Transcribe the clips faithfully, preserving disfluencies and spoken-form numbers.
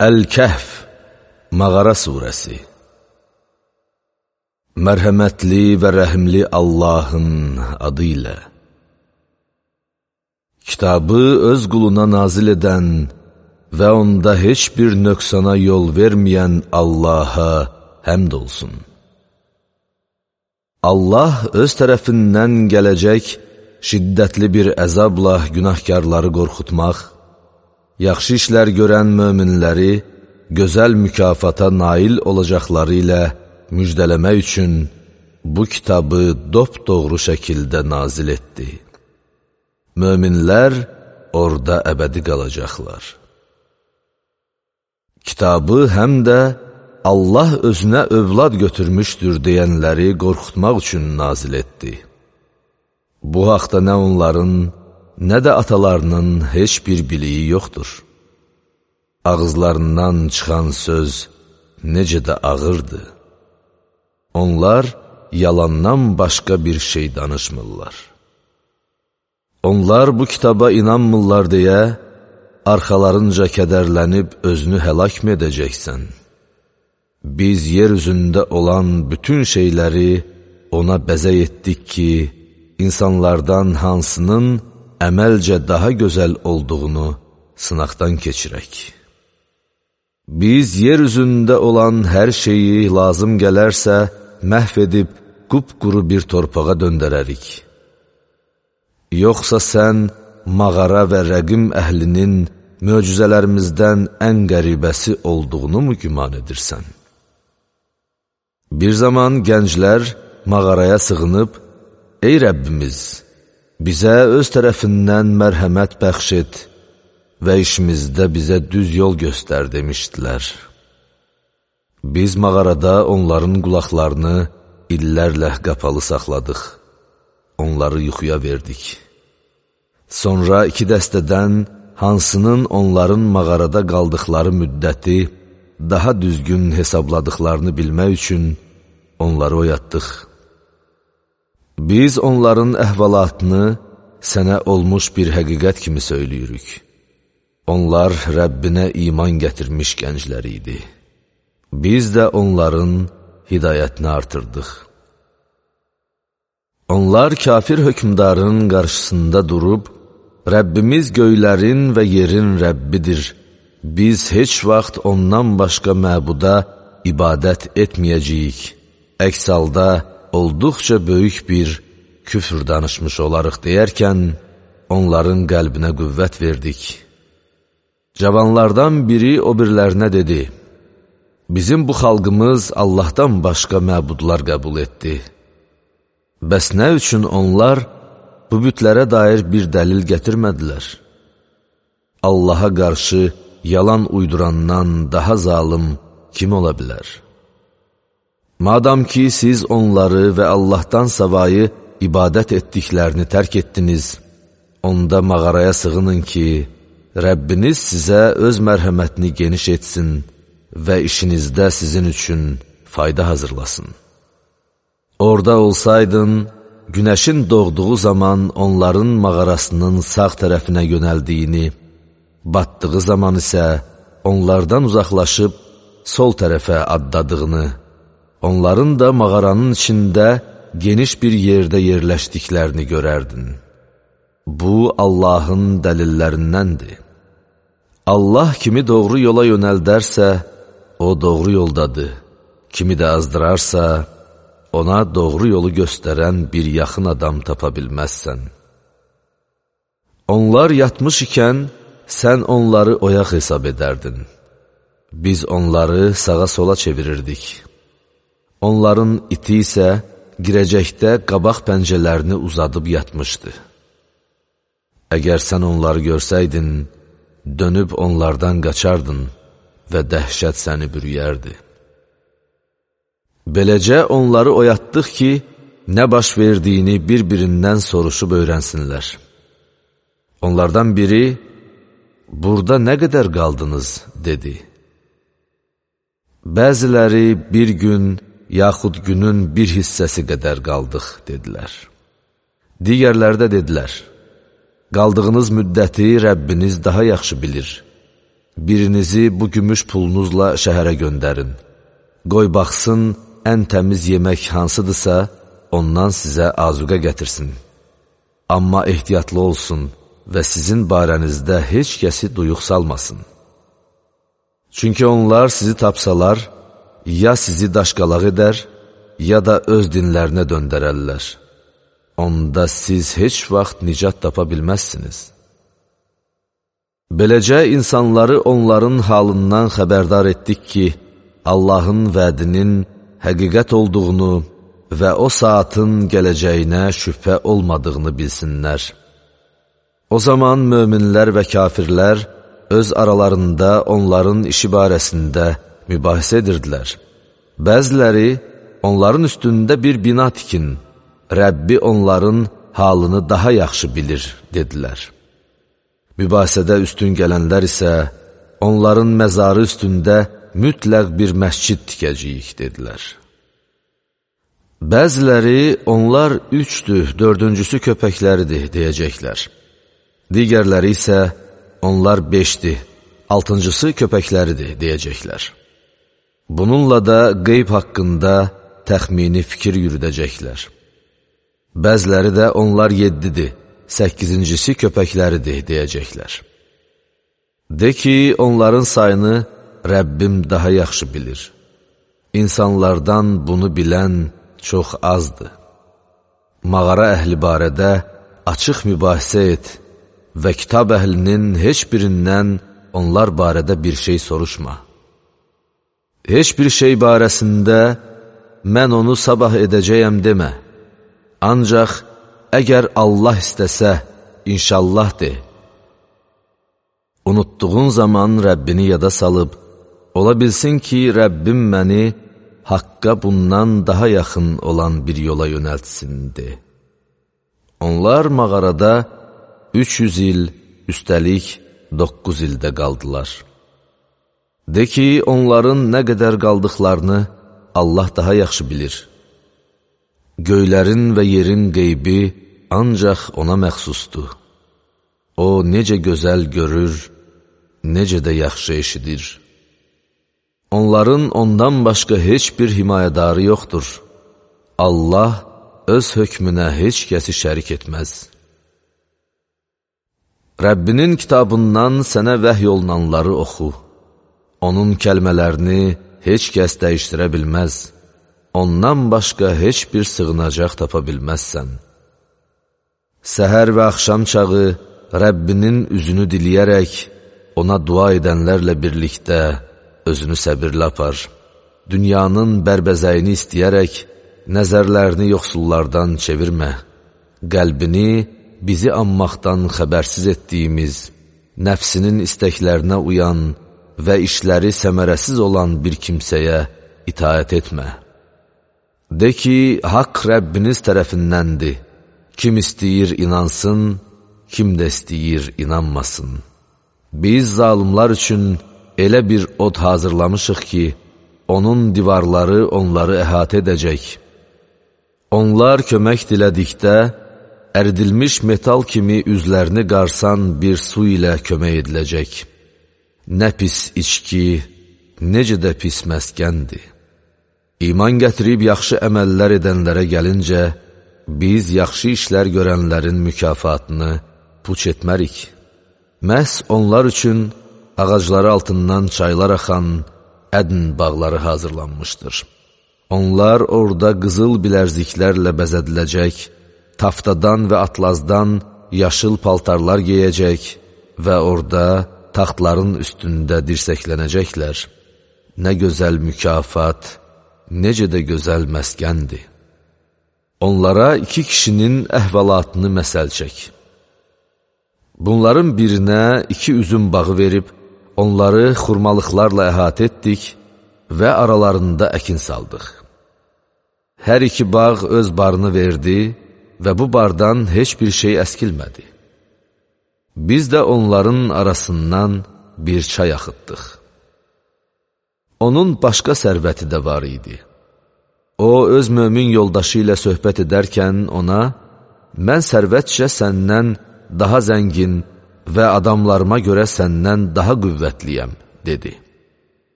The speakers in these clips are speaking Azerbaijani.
Əl-Kəhf, Mağara surəsi. Mərhəmətli və rəhimli Allahın adı ilə. Kitabı öz quluna nazil edən və onda heç bir nöqsana yol verməyən Allaha həmd olsun. Allah öz tərəfindən gələcək şiddətli bir əzabla günahkarları qorxutmaq, yaxşı işlər görən möminləri gözəl mükafata nail olacaqları ilə müjdələmək üçün bu kitabı dopdoğru şəkildə nazil etdi. Möminlər orada əbədi qalacaqlar. Kitabı həm də Allah özünə övlad götürmüşdür deyənləri qorxutmaq üçün nazil etdi. Bu haqda nə onların, nə də atalarının heç bir biliyi yoxdur. Ağızlarından çıxan söz necə də ağırdır. Onlar yalandan başqa bir şey danışmırlar. Onlar bu kitaba inanmırlar deyə, arxalarınca kədərlənib özünü həlak mı edəcəksən? Biz yer üzündə olan bütün şeyləri ona bəzək etdik ki, insanlardan hansının əməlcə daha gözəl olduğunu sınaqdan keçirək. Biz yer üzündə olan hər şeyi lazım gələrsə məhv edib qupquru bir torpağa döndərərik. Yoxsa sən mağara və rəqim əhlinin möcüzələrimizdən ən qəribəsi olduğunu mu güman edirsən? Bir zaman gənclər mağaraya sığınıb, ey Rəbbimiz, bizə öz tərəfindən mərhəmət bəxş et və işimizdə bizə düz yol göstər demişdilər. Biz mağarada onların qulaqlarını illərlə qapalı saxladıq, onları yuxuya verdik. Sonra iki dəstədən hansının onların mağarada qaldıqları müddəti daha düzgün hesabladıqlarını bilmək üçün onları oyatdıq. Biz onların əhvalatını sənə olmuş bir həqiqət kimi söyləyirik. Onlar Rəbbinə iman gətirmiş gənclər idi. Biz də onların hidayətini artırdıq. Onlar kafir hökmdarın qarşısında durub, Rəbbimiz göylərin və yerin Rəbbidir. Biz heç vaxt ondan başqa məbuda ibadət etməyəcəyik. Əks halda olduqca böyük bir küfr danışmış olarıq deyərkən, onların qəlbinə qüvvət verdik. Cavanlardan biri o birlərinə dedi, bizim bu xalqımız Allahdan başqa məbudlar qəbul etdi. Bəs nə üçün onlar bu bütlərə dair bir dəlil gətirmədilər? Allaha qarşı yalan uydurandan daha zalım kim ola bilər? Madam ki, siz onları və Allahdan savayı ibadət etdiklərini tərk etdiniz, onda mağaraya sığının ki, Rəbbiniz sizə öz mərhəmətini geniş etsin və işinizdə sizin üçün fayda hazırlasın. Orada olsaydın, günəşin doğduğu zaman onların mağarasının sağ tərəfinə yönəldiyini, batdığı zaman isə onlardan uzaqlaşıb sol tərəfə addadığını, onların da mağaranın içində geniş bir yerdə yerləşdiklərini görərdin. Bu, Allahın dəlillərindəndir. Allah kimi doğru yola yönəldərsə, o doğru yoldadır. Kimi də azdırarsa, ona doğru yolu göstərən bir yaxın adam tapa bilməzsən. Onlar yatmış ikən, sən onları oyaq hesab edərdin. Biz onları sağa sola çevirirdik. Onların iti isə girəcəkdə qabaq pəncələrini uzadıb yatmışdı. Əgər sən onları görsəydin, dönüb onlardan qaçardın və dəhşət səni bürüyərdi. Beləcə onları oyatdıq ki, nə baş verdiyini bir-birindən soruşub öyrənsinlər. Onlardan biri, burada nə qədər qaldınız, dedi. Bəziləri bir gün, yaxud günün bir hissəsi qədər qaldıq, dedilər. Digərləri də dedilər, qaldığınız müddəti Rəbbiniz daha yaxşı bilir. birinizi bu gümüş pulunuzla şəhərə göndərin. Qoy baxsın, ən təmiz yemək hansıdırsa, ondan sizə azuqə gətirsin. Amma ehtiyatlı olsun və sizin barənizdə heç kəsi duyuq salmasın. Çünki onlar sizi tapsalar, ya sizi daşqalaq edər, ya da öz dinlərinə döndərərlər. Onda siz heç vaxt nicat tapa bilməzsiniz. Beləcə insanları onların halından xəbərdar etdik ki, Allahın vədinin həqiqət olduğunu və o saatın gələcəyinə şübhə olmadığını bilsinlər. O zaman möminlər və kafirlər öz aralarında onların işi barəsində mübahisə edirdilər. Bəziləri, onların üstündə bir bina tikin, Rəbbi onların halını daha yaxşı bilir, dedilər. Mübahisədə üstün gələnlər isə, onların məzarı üstündə mütləq bir məscid tikəcəyik, dedilər. Bəziləri, onlar üçdür, dördüncüsü köpəkləridir, deyəcəklər. Digərləri isə, onlar beşdir, altıncısı köpəkləridir, deyəcəklər. Bununla da qeyb haqqında təxmini fikir yürüdəcəklər. Bəziləri də onlar yeddidir, səkkizincisi köpəkləridir, deyəcəklər. De ki, onların sayını Rəbbim daha yaxşı bilir. İnsanlardan bunu bilən çox azdır. Mağara əhli barədə açıq mübahisə et və kitab əhlinin heç birindən onlar barədə bir şey soruşma. Heç bir şey barəsində mən onu sabah edəcəyəm demə. Ancaq əgər Allah istəsə, inşallah de. Unutduğun zaman Rəbbini yada salıb, ola bilsin ki, Rəbbim məni haqqa bundan daha yaxın olan bir yola yönəltsin, de. Onlar mağarada üç yüz il, üstəlik doqquz ildə qaldılar. De ki, onların nə qədər qaldıqlarını Allah daha yaxşı bilir. Göylərin və yerin qeybi ancaq ona məxsusdur. O necə gözəl görür, necə də yaxşı eşidir. Onların ondan başqa heç bir himayədarı yoxdur. Allah öz hökmünə heç kəsi şərik etməz. Rəbbinin kitabından sənə vəhy olunanları oxu. Onun kəlmələrini heç kəs dəyişdirə bilməz. Ondan başqa heç bir sığınacaq tapa bilməzsən. Səhər və axşam çağı Rəbbinin üzünü diliyərək, ona dua edənlərlə birlikdə özünü səbirlə apar. Dünyanın bərbəzəyini istəyərək, nəzərlərini yoxsullardan çevirmə. Qəlbini bizi anmaqdan xəbərsiz etdiyimiz, nəfsinin istəklərinə uyan və işləri səmərəsiz olan bir kimsəyə itaət etmə. De ki, haqq Rəbbiniz tərəfindəndir. Kim istəyir inansın, kim də istəyir inanmasın. Biz zalımlar üçün elə bir od hazırlamışıq ki, onun divarları onları əhatə edəcək. Onlar kömək dilədikdə, əridilmiş metal kimi üzlərini qarsan bir su ilə kömək ediləcək. Nə pis içki, necə də pis məskəndir. İman gətirib yaxşı əməllər edənlərə gəlincə, biz yaxşı işlər görənlərin mükafatını puç etmərik. Məhz onlar üçün ağacları altından çaylar axan ədn bağları hazırlanmışdır. Onlar orada qızıl bilərziklərlə bəzədiləcək, taftadan və atlazdan yaşıl paltarlar geyəcək və orada taxtların üstündə dirsəklənəcəklər. Nə gözəl mükafat, necə də gözəl məskəndir. Onlara iki kişinin əhvalatını məsəl çək. Bunların birinə iki üzüm bağı verib, onları xurmalıqlarla əhatə etdik və aralarında əkin saldıq. Hər iki bağ öz barını verdi və bu bardan heç bir şey əskilmədi. Biz də onların arasından bir çay axıtdıq. Onun başqa sərvəti də var idi. O, öz mömin yoldaşı ilə söhbət edərkən ona, mən sərvətcə səndən daha zəngin, və adamlarıma görə səndən daha qüvvətliyəm, dedi.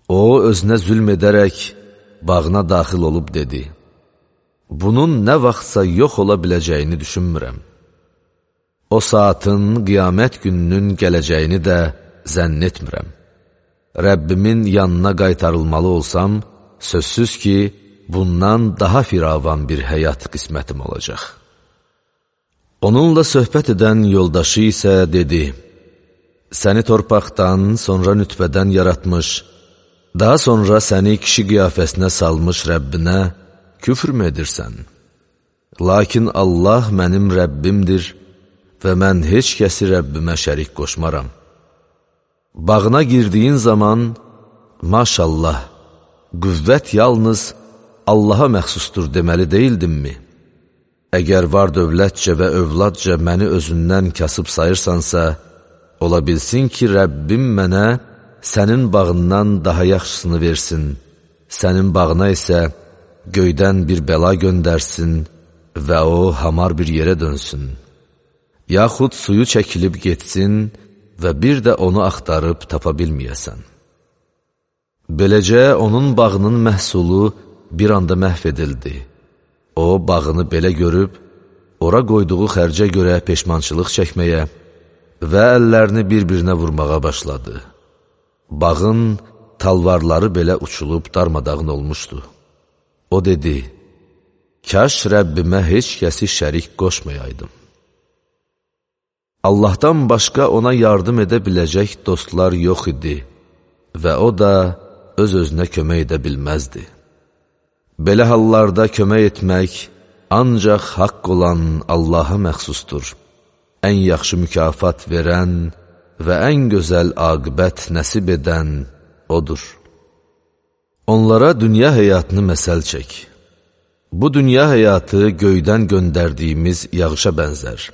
O, özünə zülm edərək bağına daxil olub dedi, bunun nə vaxtsa yox ola biləcəyini düşünmürəm. O saatın qiyamət gününün gələcəyini də zənn etmirəm. Rəbbimin yanına qaytarılmalı olsam, sözsüz ki, bundan daha firavan bir həyat qismətim olacaq. Onunla söhbət edən yoldaşı isə dedi, səni torpaqdan, sonra nütfədən yaratmış, daha sonra səni kişi qiyafəsinə salmış Rəbbinə küfr mü edirsən? Lakin Allah mənim Rəbbimdir və mən heç kəsi Rəbbimə şərik qoşmaram. Bağına girdiyin zaman, maşallah, qüvvət yalnız Allaha məxsusdur deməli deyildimmi? Əgər var dövlətcə və övladca məni özündən kasıb sayırsansa, ola bilsin ki, Rəbbim mənə sənin bağından daha yaxşısını versin, sənin bağına isə göydən bir bəla göndərsin və o hamar bir yerə dönsün. Yaxud suyu çəkilib getsin və bir də onu axtarıb tapa bilməyəsən. Beləcə onun bağının məhsulu bir anda məhv edildi. O, bağını belə görüb, ora qoyduğu xərcə görə peşmançılıq çəkməyə və əllərini bir-birinə vurmağa başladı. Bağın talvarları belə uçulub darmadağın olmuşdu. O dedi, kaş Rəbbimə heç kəsi şərik qoşmayaydım. Allahdan başqa ona yardım edə biləcək dostlar yox idi və o da öz-özünə kömək edə bilməzdi. Belə hallarda kömək etmək ancaq haqq olan Allaha məxsusdur. Ən yaxşı mükafat verən və ən gözəl aqibət nəsib edən odur. Onlara dünya həyatını məsəl çək. Bu dünya həyatı göydən göndərdiyimiz yağışa bənzər.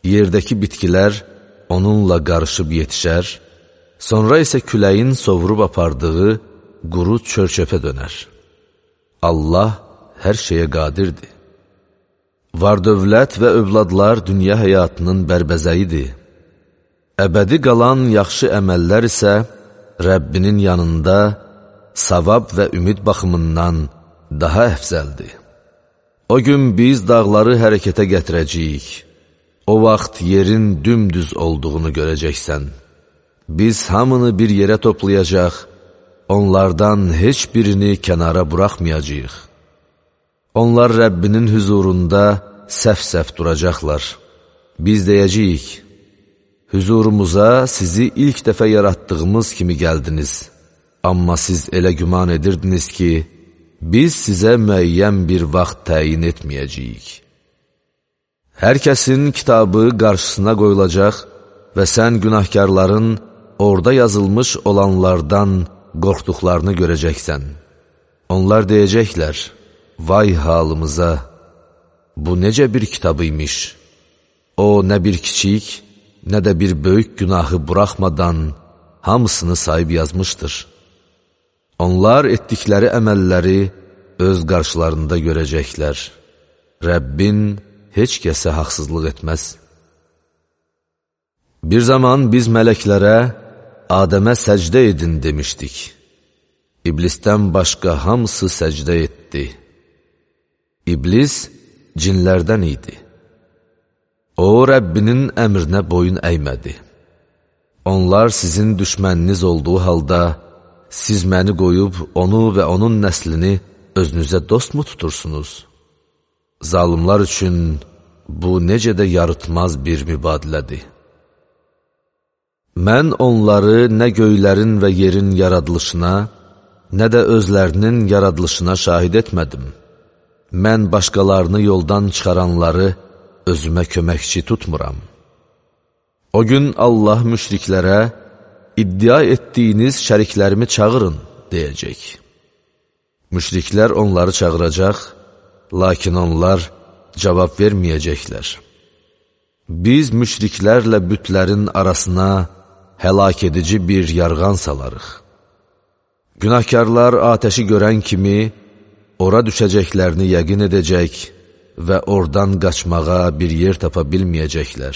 Yerdəki bitkilər onunla qarışıb yetişər, sonra isə küləyin sovurub apardığı quru çör-çöpə dönər. Allah hər şeyə qadirdir. Var dövlət və övladlar dünya həyatının bərbəzəyidir. Əbədi qalan yaxşı əməllər isə Rəbbinin yanında savab və ümid baxımından daha əfzəldir. O gün biz dağları hərəkətə gətirəcəyik. O vaxt yerin dümdüz olduğunu görəcəksən. Biz hamını bir yerə toplayacaq, onlardan heç birini kənara buraxmayacağıq. Onlar Rəbbinin hüzurunda səf-səf duracaqlar. Biz deyəcəyik, hüzurumuza sizi ilk dəfə yaratdığımız kimi gəldiniz. Amma siz elə güman edirdiniz ki, biz sizə müəyyən bir vaxt təyin etməyəcəyik. Hər kəsin kitabı qarşısına qoyulacaq və sən günahkarların orada yazılmış olanlardan qorxduqlarını görəcəksən. Onlar deyəcəklər, vay halımıza, bu necə bir kitabıymış. O, nə bir kiçik, nə də bir böyük günahı buraxmadan hamısını sayıb yazmışdır. Onlar etdikləri əməlləri öz qarşılarında görəcəklər. Rəbbin heç kəsə haqsızlıq etməz. Bir zaman biz mələklərə Adəmə səcdə edin demişdik. İblisdən başqa hamısı səcdə etdi. İblis cinlərdən idi. O, Rəbbinin əmrinə boyun əymədi. Onlar sizin düşməniniz olduğu halda, siz məni qoyub onu və onun nəslini özünüzə dost mu tutursunuz? Zalimlar üçün bu necə də yarıtmaz bir mübadilədir. Mən onları nə göylərin və yerin yaradılışına, nə də özlərinin yaradılışına şahid etmədim. Mən başqalarını yoldan çıxaranları özümə köməkçi tutmuram. O gün Allah müşriklərə, iddia etdiyiniz şəriklərimi çağırın, deyəcək. Müşriklər onları çağıracaq, lakin onlar cavab verməyəcəklər. Biz müşriklərlə bütlərin arasına həlak edici bir yarğan salarıq. Günahkarlar atəşi görən kimi ora düşəcəklərini yəqin edəcək və oradan qaçmağa bir yer tapa bilməyəcəklər.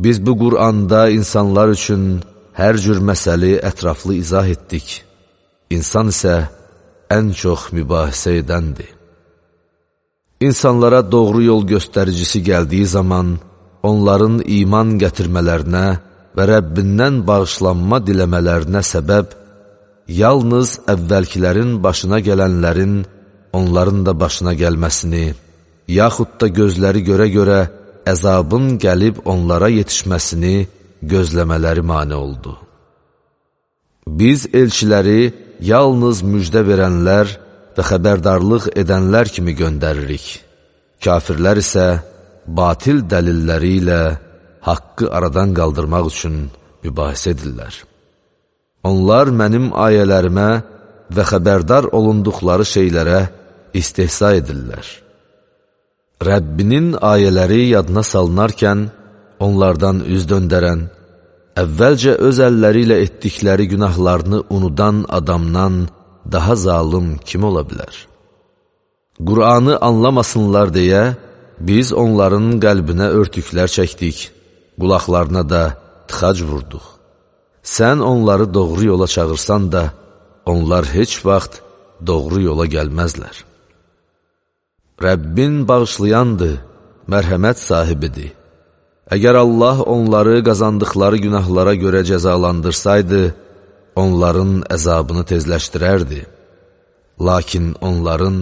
Biz bu Qur'anda insanlar üçün hər cür məsəli ətraflı izah etdik. İnsan isə ən çox mübahisə edəndir. İnsanlara doğru yol göstəricisi gəldiyi zaman, onların iman gətirmələrinə və Rəbbindən bağışlanma diləmələrinə səbəb, yalnız əvvəlkilərin başına gələnlərin, onların da başına gəlməsini, yaxud da gözləri görə-görə əzabın gəlib onlara yetişməsini gözləmələri mane oldu. Biz elçiləri yalnız müjdə verənlər və xəbərdarlıq edənlər kimi göndəririk. Kafirlər isə batil dəlilləri ilə haqqı aradan qaldırmaq üçün mübahisə edirlər. Onlar mənim ayələrimə və xəbərdar olunduqları şeylərə istehza edirlər. Rəbbinin ayələri yadına salınarkən, onlardan üz döndərən, əvvəlcə öz əlləri ilə etdikləri günahlarını unudan adamdan daha zalım kim ola bilər? Qur'anı anlamasınlar deyə, biz onların qəlbinə örtüklər çəkdik, qulaqlarına da tıxac vurduq. Sən onları doğru yola çağırsan da, onlar heç vaxt doğru yola gəlməzlər. Rəbbin bağışlayandır, mərhəmət sahibidir. Əgər Allah onları qazandıqları günahlara görə cəzalandırsaydı, onların əzabını tezləşdirərdi. Lakin onların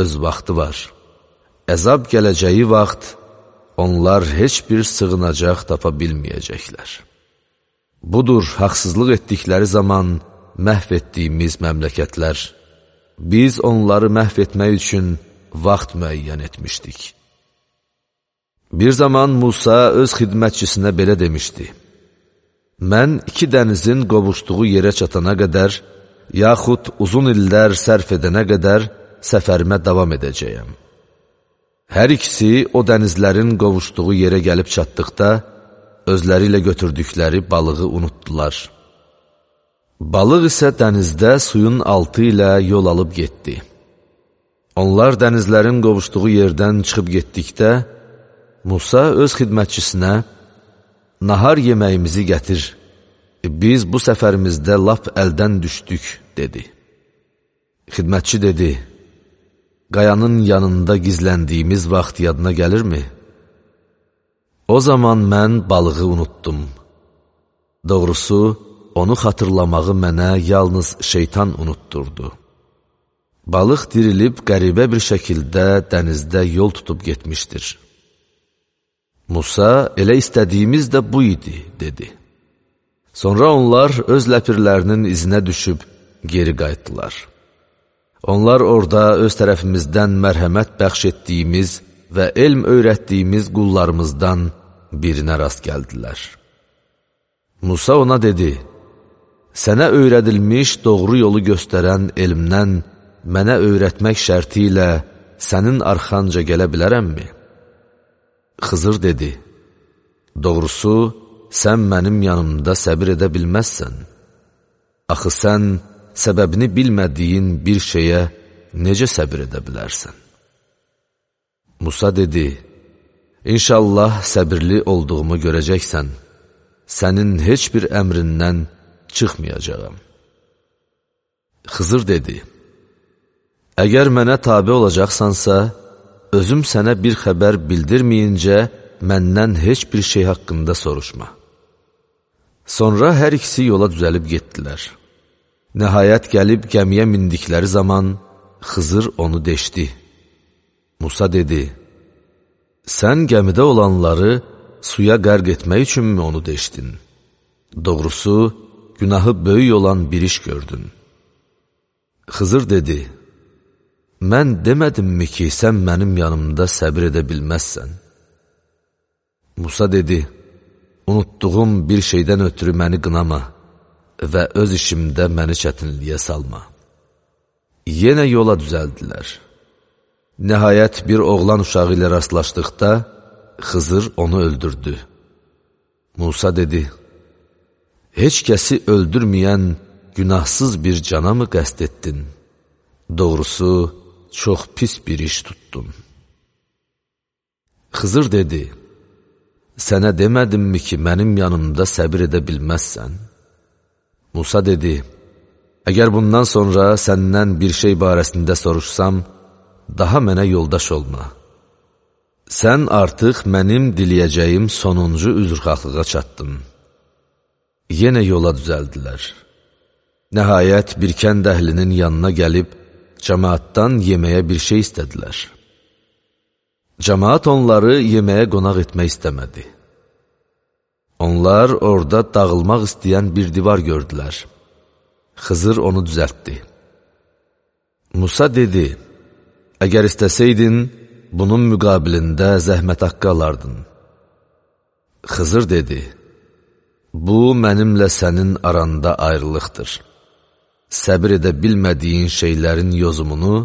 öz vaxtı var. Əzab gələcəyi vaxt, onlar heç bir sığınacaq tapa bilməyəcəklər. Budur, haqsızlıq etdikləri zaman məhv etdiyimiz məmləkətlər. Biz onları məhv etmək üçün vaxt müəyyən etmişdik. Bir zaman Musa öz xidmətçisinə belə demişdi: Mən iki dənizin qovuşduğu yerə çatana qədər, yaxud uzun illər sərf edənə qədər səfərimə davam edəcəyəm. Hər ikisi o dənizlərin qovuşduğu yerə gəlib çatdıqda, özləri ilə götürdükləri balığı unutdular. Balıq isə dənizdə suyun altı ilə yol alıb getdi. Onlar dənizlərin qovuşduğu yerdən çıxıb getdikdə, Musa öz xidmətçisinə, nahar yeməyimizi gətir, biz bu səfərimizdə lap əldən düşdük, dedi. Xidmətçi dedi, qayanın yanında gizləndiyimiz vaxt yadına gəlirmi? O zaman mən balığı unutdum. Doğrusu, onu xatırlamağı mənə yalnız şeytan unutturdu. Balıq dirilib qəribə bir şəkildə dənizdə yol tutub getmişdir. Musa, elə istədiyimiz də bu idi, dedi. Sonra onlar öz ləpirlərinin izinə düşüb geri qayıtdılar. Onlar orada öz tərəfimizdən mərhəmət bəxş etdiyimiz və elm öyrətdiyimiz qullarımızdan birinə rast gəldilər. Musa ona dedi, sənə öyrədilmiş doğru yolu göstərən elmdən mənə öyrətmək şərti ilə sənin arxanca gələ bilərəmmi? Xızır dedi, doğrusu, sən mənim yanımda səbir edə bilməzsən. Axı sən səbəbini bilmədiyin bir şeyə necə səbir edə bilərsən? Musa dedi, İnşallah səbirli olduğumu görəcəksən, sənin heç bir əmrindən çıxmayacağım. Xızır dedi, əgər mənə tabi olacaqsansa, özüm sənə bir xəbər bildirməyincə məndən heç bir şey haqqında soruşma. Sonra hər ikisi yola düzəlib getdilər. Nəhayət gəlib gəmiyə mindikləri zaman Xızır onu deşdi. Musa dedi, sən gəmidə olanları suya qərq etmək üçünmü onu deşdin? Doğrusu, günahı böyük olan bir iş gördün. Xızır dedi, mən demədimmi ki, sən mənim yanımda səbir edə bilməzsən? Musa dedi, unutduğum bir şeydən ötürü məni qınama və öz işimdə məni çətinliyə salma. Yenə yola düzəldilər. Nəhayət bir oğlan uşağı ilə rastlaşdıqda, Xızır onu öldürdü. Musa dedi, heç kəsi öldürməyən günahsız bir cana mı qəsd etdin? Doğrusu, çox pis bir iş tutdun. Xızır dedi, sənə demədimmi ki, mənim yanımda səbir edə bilməzsən? Musa dedi, əgər bundan sonra səndən bir şey barəsində soruşsam, daha mənə yoldaş olma. Sən artıq mənim diləyəcəyim sonuncu üzrxahlığa çatdın. Yenə yola düzəldilər. Nəhayət bir kənd əhlinin yanına gəlib, cəmaatdan yeməyə bir şey istədilər. Cəmaat onları yeməyə qonaq etmək istəmədi. Onlar orada dağılmaq istəyən bir divar gördülər. Xızır onu düzəltdi. Musa dedi, əgər istəsəydin, bunun müqabilində zəhmət haqqı alardın. Xızır dedi, bu mənimlə sənin aranda ayrılıqdır. Səbir edə bilmədiyin şeylərin yozumunu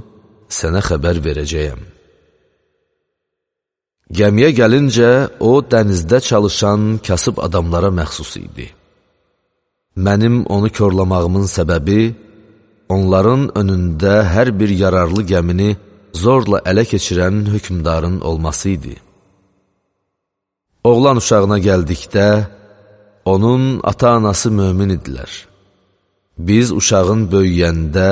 sənə xəbər verəcəyəm. Gəmiyə gəlincə, o dənizdə çalışan kasıb adamlara məxsus idi. Mənim onu körlamağımın səbəbi, onların önündə hər bir yararlı gəmini zorla ələ keçirən hökmdarın olması idi. Oğlan uşağına gəldikdə, onun ata-anası mömin idilər. Biz uşağın böyüyəndə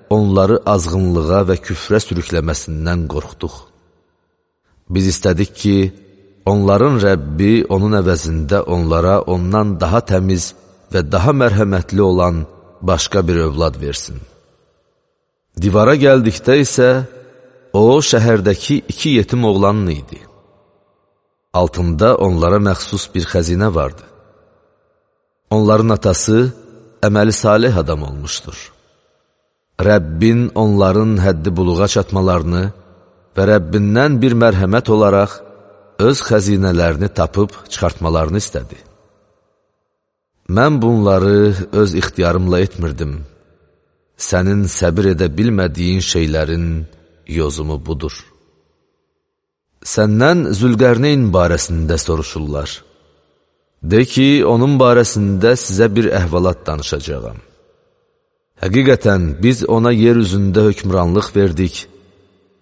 onları azğınlığa və küfrə sürükləməsindən qorxduq. Biz istədik ki, onların Rəbbi onun əvəzində onlara ondan daha təmiz və daha mərhəmətli olan başqa bir övlad versin. Divara gəldikdə isə, o şəhərdəki iki yetim oğlanın idi. Altında onlara məxsus bir xəzinə vardı. Onların atası əməli salih adam olmuşdur. Rəbbin onların həddi buluğa çatmalarını və Rəbbindən bir mərhəmət olaraq öz xəzinələrini tapıb çıxartmalarını istədi. Mən bunları öz ixtiyarımla etmirdim. Sənin səbir edə bilmədiyin şeylərin yozumu budur. Səndən Zülqərneyn barəsində soruşurlar. De ki, onun barəsində sizə bir əhvalat danışacağam. Həqiqətən biz ona yer üzündə hökmranlıq verdik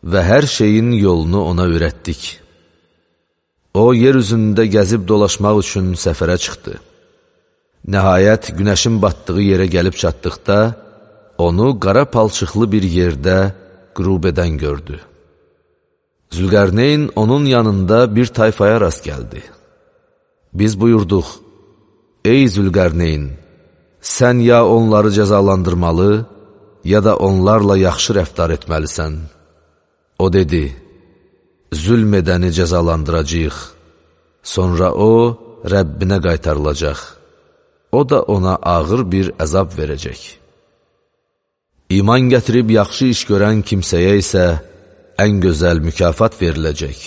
və hər şeyin yolunu ona öyrətdik. O, yer üzündə gəzib dolaşmaq üçün səfərə çıxdı. Nəhayət, günəşin batdığı yerə gəlib çatdıqda, onu qara palçıqlı bir yerdə qürub edən gördü. Zülqərneyn onun yanında bir tayfaya rast gəldi. Biz buyurduq, ey Zülqərneyn, sən ya onları cəzalandırmalı, ya da onlarla yaxşı rəftar etməlisən. O dedi, zülm edəni cəzalandıracaq, sonra o, Rəbbinə qaytarılacaq. O da ona ağır bir əzab verəcək. İman gətirib yaxşı iş görən kimsəyə isə ən gözəl mükafat veriləcək.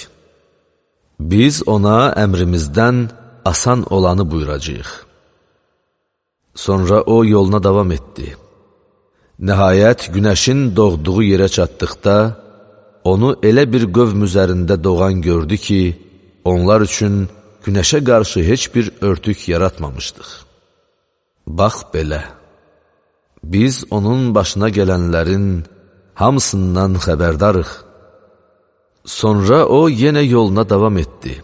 Biz ona əmrimizdən asan olanı buyuracaq. Sonra o yoluna davam etdi. Nəhayət, günəşin doğduğu yerə çatdıqda, onu elə bir qövm üzərində doğan gördü ki, onlar üçün günəşə qarşı heç bir örtük yaratmamışdıq. Bax belə, biz onun başına gələnlərin hamısından xəbərdarıq. Sonra o yenə yoluna davam etdi.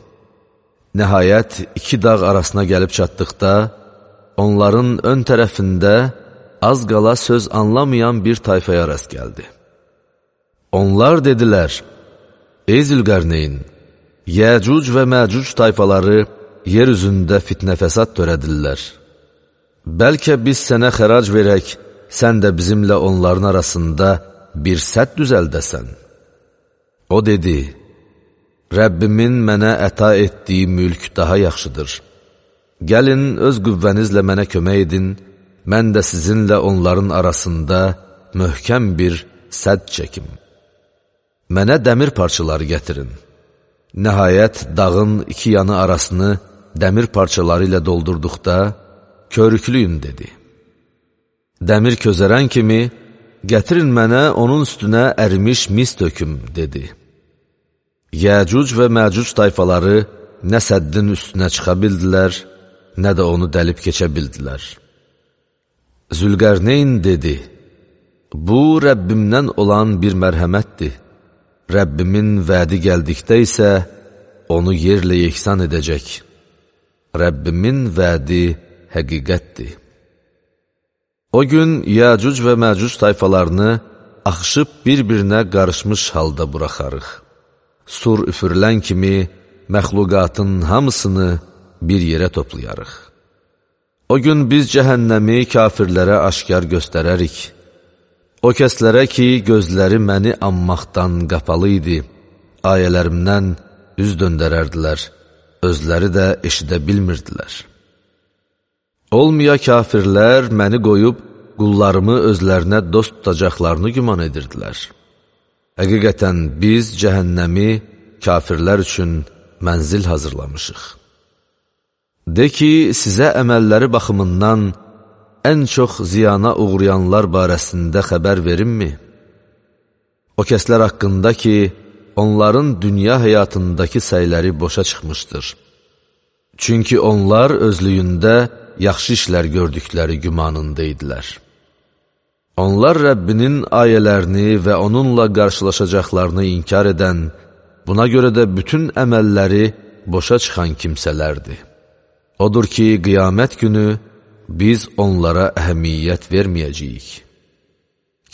Nəhayət, iki dağ arasına gəlib çatdıqda, onların ön tərəfində az qala söz anlamayan bir tayfaya rast gəldi. Onlar dedilər, ey Zülqərneyn, Yəcuc və Məcuc tayfaları yer üzündə fitnə fəsad törədirlər. Bəlkə biz sənə xərac verək, sən də bizimlə onların arasında bir sədd düzəldəsən. O dedi, Rəbbimin mənə əta etdiyi mülk daha yaxşıdır. Gəlin, öz qüvvənizlə mənə kömək edin, mən də sizinlə onların arasında möhkəm bir sədd çəkim. Mənə dəmir parçaları gətirin. Nəhayət, dağın iki yanı arasını dəmir parçaları ilə doldurduqda, körüklüyün, dedi. Dəmir közərən kimi, gətirin mənə onun üstünə ərimiş mis töküm, dedi. Yəcuc və Məcuc tayfaları nə səddin üstünə çıxa bildilər, nə də onu dəlib keçə bildilər. Zülqərneyn dedi, bu Rəbbimdən olan bir mərhəmətdir. Rəbbimin vədi gəldikdə isə onu yerlə yeksan edəcək. Rəbbimin vədi həqiqətdir. O gün Yəcuc və Məcuc tayfalarını axışıb bir-birinə qarışmış halda buraxarıq. Sur üfürülən kimi məxluqatın hamısını bir yerə toplayarıq. O gün biz cəhənnəmi kafirlərə aşkar göstərərik. O kəslərə ki, gözləri məni anmaqdan qapalı idi, ayələrimdən üz döndərərdilər, özləri də eşidə bilmirdilər. Olmaya kafirlər məni qoyub, qullarımı özlərinə dost tutacaqlarını güman edirdilər. Həqiqətən biz cəhənnəmi kafirlər üçün mənzil hazırlamışıq. De ki, sizə əməlləri baxımından ən çox ziyana uğrayanlar barəsində xəbər verimmi? O kəslər haqqında ki, onların dünya həyatındakı səyləri boşa çıxmışdır. Çünki onlar özlüyündə yaxşı işlər gördükləri gümanında idilər. Onlar Rəbbinin ayələrini və onunla qarşılaşacaqlarını inkar edən, buna görə də bütün əməlləri boşa çıxan kimsələrdir. Odur ki, qiyamət günü biz onlara əhəmiyyət verməyəcəyik.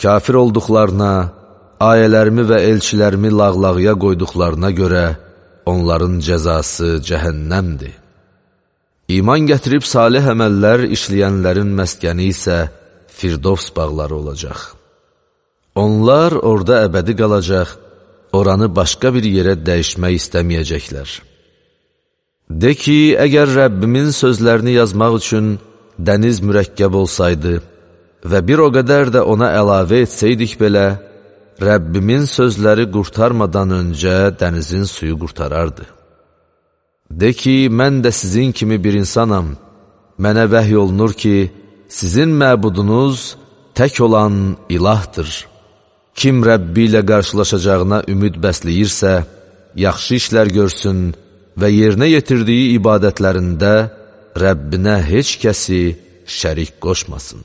Kafir olduqlarına, ayələrimi və elçilərimi lağlağıya qoyduqlarına görə onların cəzası cəhənnəmdir. İman gətirib salih əməllər işləyənlərin məskəni isə Firdovs bağları olacaq. Onlar orada əbədi qalacaq, oranı başqa bir yerə dəyişmək istəməyəcəklər. De ki, əgər Rəbbimin sözlərini yazmaq üçün dəniz mürəkkəb olsaydı və bir o qədər də ona əlavə etsəydik belə, Rəbbimin sözləri qurtarmadan öncə dənizin suyu qurtarardı. De ki, mən də sizin kimi bir insanam, mənə vəhy olunur ki, sizin məbudunuz tək olan ilahdır. Kim Rəbbi ilə qarşılaşacağına ümid bəsləyirsə, yaxşı işlər görsün və yerinə yetirdiyi ibadətlərində Rəbbinə heç kəsi şərik qoşmasın.